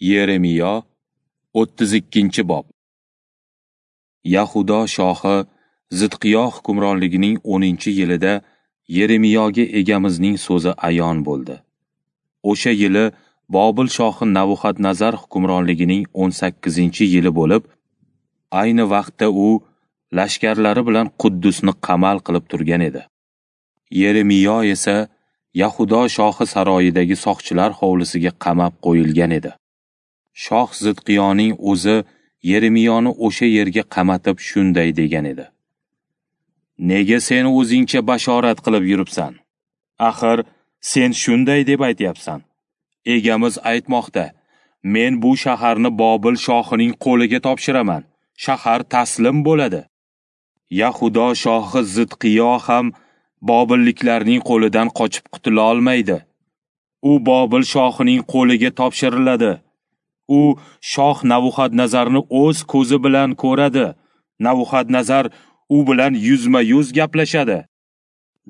Yeremiyo 32-bob. Yahudo shohi Zidqiyo hukmronligining 10-yilida Yeremiyoga Egamizning so'zi ayon bo'ldi. O'sha yili Bobil shohi Nabuxadnazar hukmronligining 18-yili bo'lib, ayni vaqtda u lashkarlari bilan Quddusni qamal qilib turgan edi. Yeremiyo esa Yahudo shohi saroyidagi soqchilar hovlisiga qamab qo'yilgan edi. Shoh Zidqiyoning o'zi Yeremiyoni o'sha yerga qamatib shunday degan edi: Nega sen o'zingcha bashorat qilib yuribsan? Axir sen shunday deb aytyapsan: Egamiz aytmoqda, men bu shaharni Bobil shohining qo'liga topshiraman. Shahar taslim bo'ladi. Yahudo shohi Zidqiyo ham Bobilliklarning qo'lidan qochib qutula olmaydi. U Bobil shohining qo'liga topshiriladi. U shoh Nabuxadnazarni o'z ko'zi bilan ko'radi. Nabuxadnazar u bilan yuzma-yuz gaplashadi.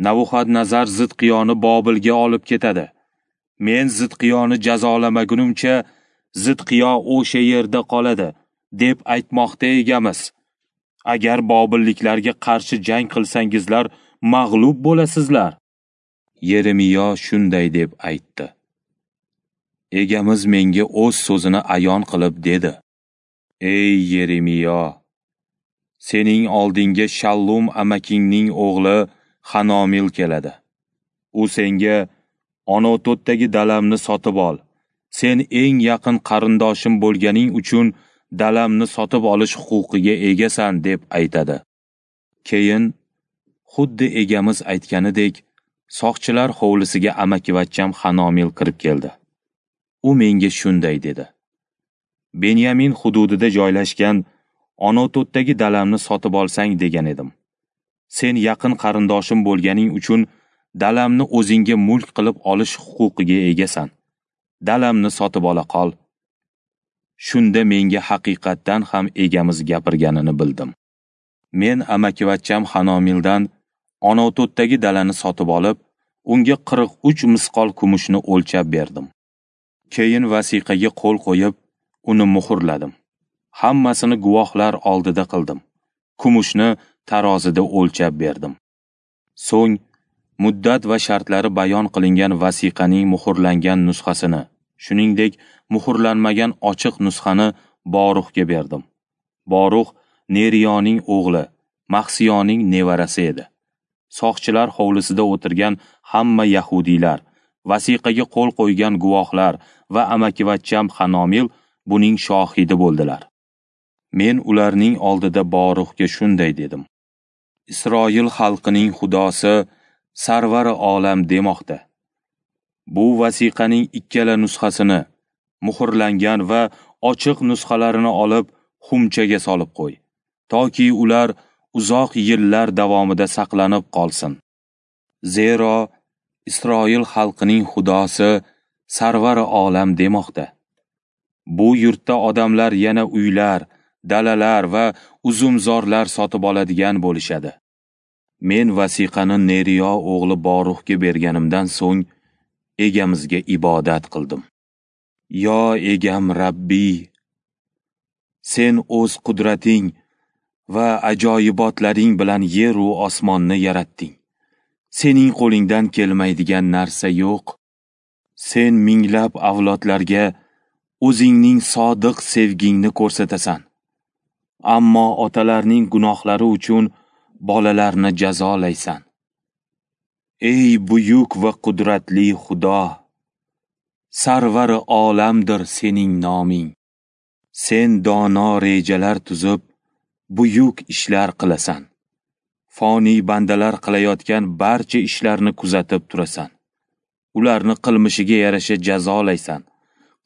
Nabuxadnazar Zidqiyoni Bobilga olib ketadi. Men Zidqiyoni jazolamagunimcha Zidqiyo o'sha yerda qoladi, deb aytmoqda Egamiz. Agar bobilliklarga qarshi jang qilsangizlar, mag'lub bo'lasizlar. Yeremiyo shunday deb aytdi: Egamiz menga o'z so'zini ayon qilib dedi: Ey Yeremiyo, sening oldinga Shallum amakingning o'g'li Hanomil keladi. U senga: Onototdagi dalamni sotib ol. Sen eng yaqin qarindoshim bo'lganing uchun dalamni sotib olish huquqiga egasan, deb aytadi. Keyin xuddi Egamiz aytganidek, soqchilar hovlisiga amakivachcham Hanomil kirib keldi. U menga shunday dedi: Benyamin hududida joylashgan Onototdagi dalamni sotib olsang degan edim. Sen yaqin qarindoshim bo'lganing uchun dalamni o'zingga mulk qilib olish huquqiga egasan. Dalamni sotib ola qol. Shunda menga haqiqatdan ham Egamiz gapirganini bildim. Men amakivachcham Hanomildan Onototdagi dalani sotib olib, unga 43 misqol kumushni o'lchab berdim. Keyin vasiqaga qo'l qo'yib, uni muhrladim. Hammasini guvohlar oldida qildim. Kumushni tarozida o'lchab berdim. So'ng muddat va shartlari bayon qilingan vasiqaning muhrlangan nusxasini, shuningdek muhrlanmagan ochiq nusxani Boruxga berdim. Borux Neriyoning o'g'li, Mahsiyoning nevarasi edi. Soqchilar hovlisida o'tirgan hamma yahudiylar, vasiqaga qo'l qo'ygan guvohlar va amakivachcham Hanomil buning shohidi bo'ldilar. Men ularning oldida Boruxga shunday dedim: Isroil xalqining Xudosi Sarvari olam demoqda. Bu vasiqaning ikkala nusxasini, muhrlangan va ochiq nusxalarini olib, xumchaga solib qo'y, toki ular uzoq yillar davomida saqlanib qolsin. Zero Isroil xalqining Xudosi Sarvari olam demoqda. Bu yurtda odamlar yana uylar, dalalar va uzumzorlar sotib oladigan bo'lishadi. Men vasiqani Neriyo o'g'li Boruxga berganimdan so'ng Egamizga ibodat qildim. Yo Egam Rabbiy, sen o'z qudrating va ajoyibotlaring bilan yer u osmonni yaratding. Sening qo'lingdan kelmaydigan narsa yo'q. Sen minglab avlodlarga o'zingning sodiq sevgingni ko'rsatasan. Ammo otalarning gunohlari uchun bolalarni jazolaysan. Ey buyuk va qudratli Xudo, Sarvari olamdir sening noming. Sen dono rejalar tuzib, buyuk ishlar qilasan. Foniy bandalar qilayotgan barcha ishlarni kuzatib turasan. Ularni qilmishiga yarasha jazolaysan,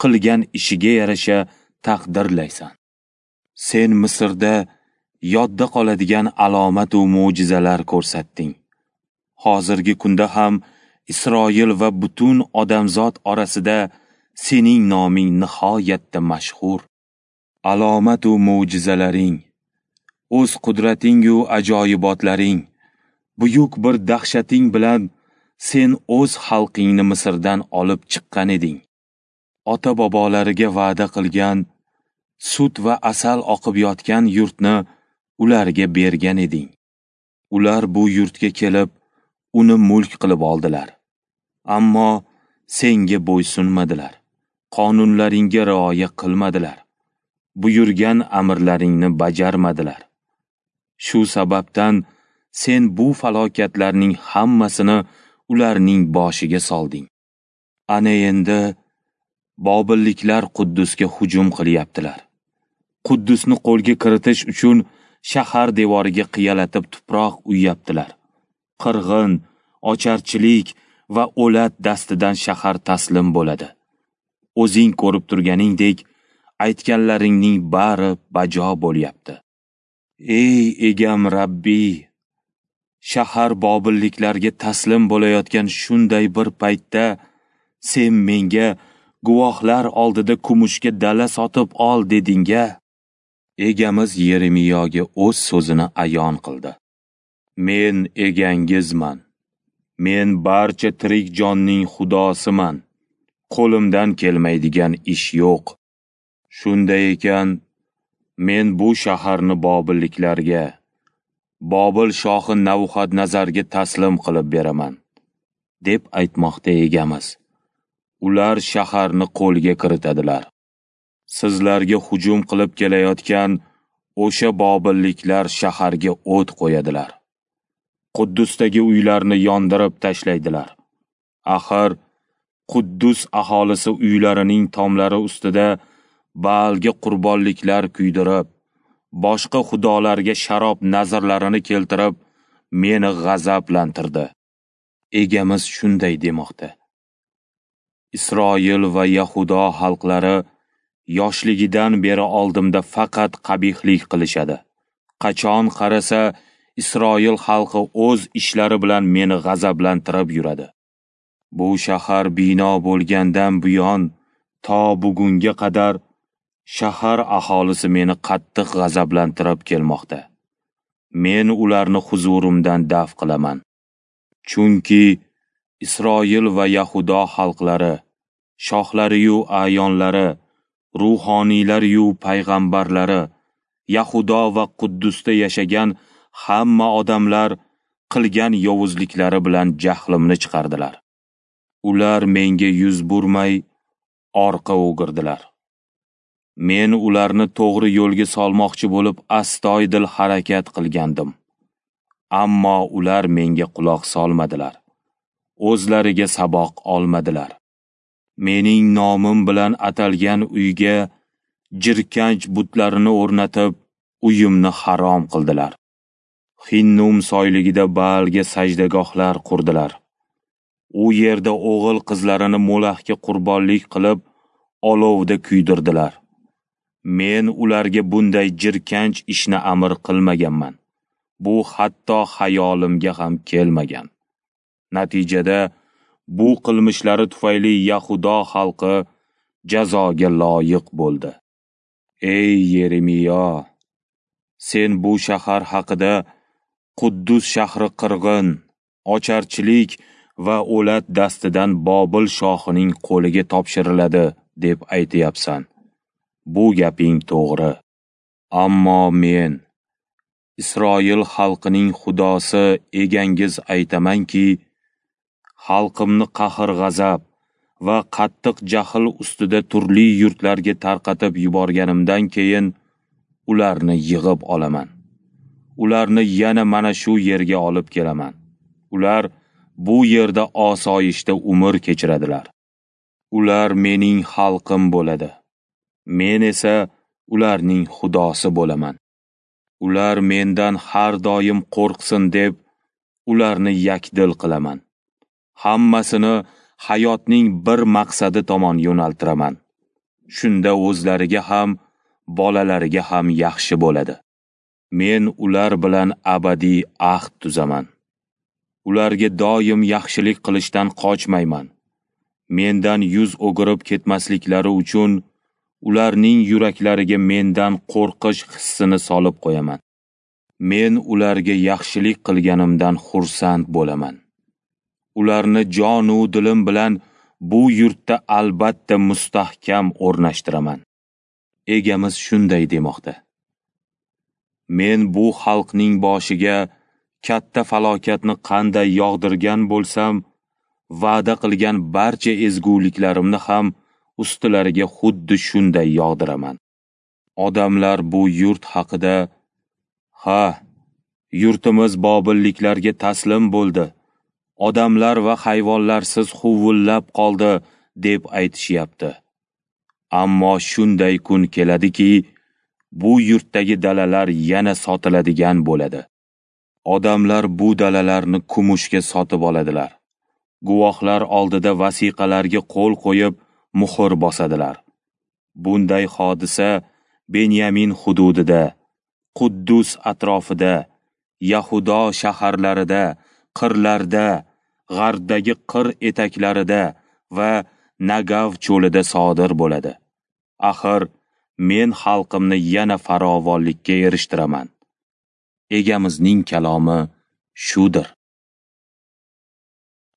qilgan ishiga yarasha taqdirlaysan. Sen Misrda yodda qoladigan alomat va mo'jizalar ko'rsatding. Hozirgi kunda ham Isroil va butun odamzod orasida sening noming nihoyatda mashhur. Alomat va mo'jizalaring, o'z qudrating va ajoyibotlaring, buyuk bir dahshating bilan sen o'z xalqingni Misrdan olib chiqqan eding. ota-bobolariga va'da qilgan, sut va asal oqib yotgan yurtni ularga bergan eding. Ular bu yurtga kelib, uni mulk qilib oldilar. Ammo senga bo'ysunmadilar, qonunlaringga rioya qilmadilar, buyurgan amrlaringni bajarmadilar. Shu sababdan sen bu falokatlarning hammasini ularning boshiga solding. Ana endi Bobilliklar Quddusga hujum qilyaptilar. Quddusni qo'lga kiritish uchun shahar devoriga qiyalatib tuproq uyyaptilar. Qirg'in, ocharchilik va o'lat dastidan shahar taslim bo'ladi. O'zing ko'rib turganingdek, aytganlaringning bari bajo bo'lyapti. Ey egam Rabbiy, shahar bobilliklarga taslim bo'layotgan shunday bir paytda sen menga guvohlar oldida kumushga dala sotib ol deding-a. Egamiz Yeremiyoga o'z so'zini ayon qildi. Men egangizman. Men barcha tirik jonning xudosiman. Qo'limdan kelmaydigan ish yo'q. Shunday ekan, men bu shaharni bobilliklarga, Bobil shohi Navuxadnazarga taslim qilib beraman, deb aytmoqda egamiz. Ular shaharni qo'lga kiritadilar. Sizlarga hujum qilib kelayotgan o'sha bobilliklar shaharga o't qo'yadilar. Quddusdagi uylarni yondirib tashlaydilar. Axir Quddus aholisi uylarining tomlari ustida Baalga qurbonliklar kuydirib, boshqa xudolarga sharob nazrlarini keltirib, meni g'azablantirdi. Egamiz shunday demoqda: Isroil va Yahudo xalqlari yoshligidan beri oldimda faqat qabihlik qilishadi. Qachon qarasa, Isroil xalqi o'z ishlari bilan meni g'azablantirib yuradi. Bu shahar bino bo'lgandan buyon to bugunga qadar shahar aholisi meni qattiq g'azablantirib kelmoqda. Men ularni huzurimdan daf qilaman. Chunki Isroil va Yahudo xalqlari, shohlari-yu a'yonlari, ruhoniylari-yu payg'ambarlari, Yahudo va Quddusda yashagan hamma odamlar qilgan yovuzliklari bilan jahlimni chiqardilar. Ular menga yuz burmay, orqa o'girdilar. Men ularni to'g'ri yo'lga solmoqchi bo'lib astoydil harakat qilgandim. Ammo ular menga quloq solmadilar. O'zlariga saboq olmadilar. Mening nomim bilan atalgan uyga jirkanch butlarini o'rnatib, uyimni harom qildilar. Hinnum soyligida Baalga sajdagohlar qurdilar. U yerda o'g'il qizlarini Molahga qurbonlik qilib, olovda kuydirdilar. Men ularga bunday jirkanch ishni amr qilmaganman. Bu hatto xayolimga ham kelmagan. Natijada bu qilmishlari tufayli Yahudo xalqi jazoga loyiq bo'ldi. Ey Yeremiyo, sen bu shahar haqida Quddus shahri qirg'in, ocharchilik va o'lat dastidan Bobil shohining qo'liga topshiriladi deb aytyapsan. Bu gaping to'g'ri. Ammo men, Isroil xalqining xudosi egangiz aytamanki, xalqimni qahr-g'azab va qattiq jahl ustida turli yurtlarga tarqatib yuborganimdan keyin ularni yig'ib olaman. Ularni yana mana shu yerga olib kelaman. Ular bu yerda osoyishta umr kechiradilar. Ular mening xalqim bo'ladi. Men esa ularning xudosi bo'laman. Ular mendan har doim qo'rqsin deb ularni yakdil qilaman. Hammasini hayotning bir maqsadi tomon yo'naltiraman. Shunda o'zlariga ham, bolalariga ham yaxshi bo'ladi. Men ular bilan abadiy ahd tuzaman. Ularga doim yaxshilik qilishdan qochmayman. Mendan yuz o'girib ketmasliklari uchun ularning yuraklariga mendan qo'rqish hissini solib qo'yaman. Men ularga yaxshilik qilganimdan xursand bo'laman. Ularni jonu dilim bilan bu yurtda albatta mustahkam o'rnashtiraman. Egamiz shunday demoqda: Men bu xalqning boshiga katta falokatni qanday yog'dirgan bo'lsam, va'da qilgan barcha ezguliklarimni ham ustilariga xuddi shunday yog'diraman. Odamlar bu yurt haqida, ha, yurtimiz bobilliklarga taslim bo'ldi, odamlar va hayvonlarsiz huvullab qoldi, deb aytishyapti. Ammo shunday kun keladiki, bu yurtdagi dalalar yana sotiladigan bo'ladi. Odamlar bu dalalarni kumushga sotib oladilar. Guvohlar oldida vasiqalarga qo'l qo'yib, muhr bosadilar. Bunday hodisa Benyamin hududida, Quddus atrofida, Yahudo shaharlarida, qirlarda, g'arbdagi qir etaklarida va Nagav cho'lida sodir bo'ladi. Axir, men xalqimni yana farovonlikka erishtiraman. Egamizning kalomi shudir.